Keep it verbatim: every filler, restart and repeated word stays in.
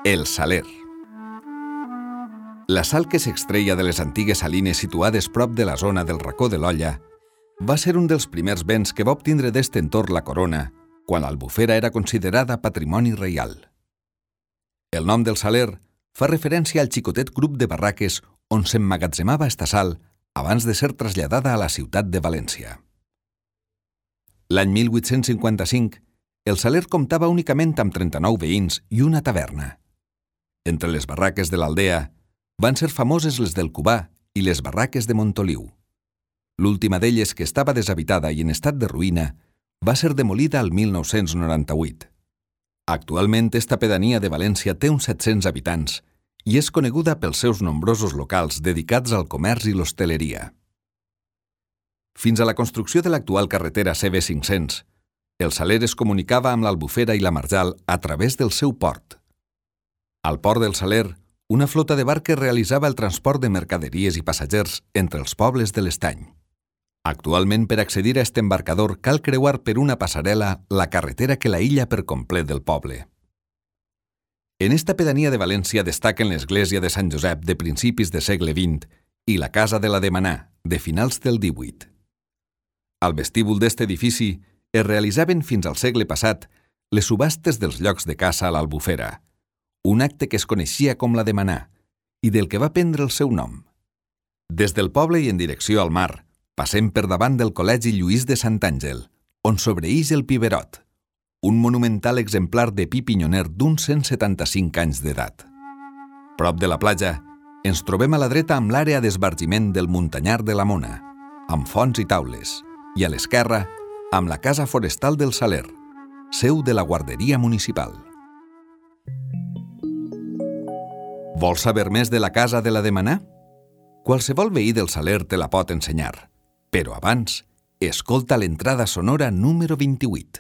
El Saler. La sal que s'extreia de les antigues salines situades prop de la zona del Racó de l'Olla va ser un dels primers béns que va obtindre d'este entorn la corona quan l'Albufera era considerada patrimoni reial. El nom del Saler fa referència al xicotet grup de barraques on s'emmagatzemava esta sal abans de ser traslladada a la ciutat de València. L'any mil vuit-cents cinquanta-cinc, el Saler comptava únicament amb trenta-nou veïns i una taverna. Entre les barraques de l'aldea van ser famoses les del Cubà i les barraques de Montoliu. L'última d'elles, que estava deshabitada i en estat de ruïna, va ser demolida al mil nou-cents noranta-vuit. Actualment, esta pedania de València té uns set-cents habitants i és coneguda pels seus nombrosos locals dedicats al comerç i l'hostaleria. Fins a la construcció de l'actual carretera C B cinc-cents, el Saler es comunicava amb l'Albufera i la Marjal a través del seu port. Al port del Saler, una flota de barques realitzava el transport de mercaderies i passatgers entre els pobles de l'Estany. Actualment, per accedir a aquest embarcador, cal creuar per una passarel·la la carretera que l'aïlla per complet del poble. En esta pedania de València destaquen l'església de Sant Josep de principis de segle vint i la casa de la Demanà, de finals del divuit. Al vestíbul d'este edifici es realitzaven fins al segle passat les subhastes dels llocs de caça a l'Albufera, un acte que es coneixia com la Demanà i del que va prendre el seu nom. Des del poble i en direcció al mar, passem per davant del Col·legi Lluís de Sant Àngel, on sobreïx el Piberot, un monumental exemplar de pi pinyoner d'uns cent setanta-cinc anys d'edat. Prop de la platja, ens trobem a la dreta amb l'àrea d'esbargiment del Muntanyar de la Mona, amb fonts i taules, i a l'esquerra, amb la Casa Forestal del Saler, seu de la Guarderia Municipal. Vols saber més de la casa de la Demanà? Qualsevol veí del Saler te la pot ensenyar, però abans, escolta l'entrada sonora número vint-i-vuit.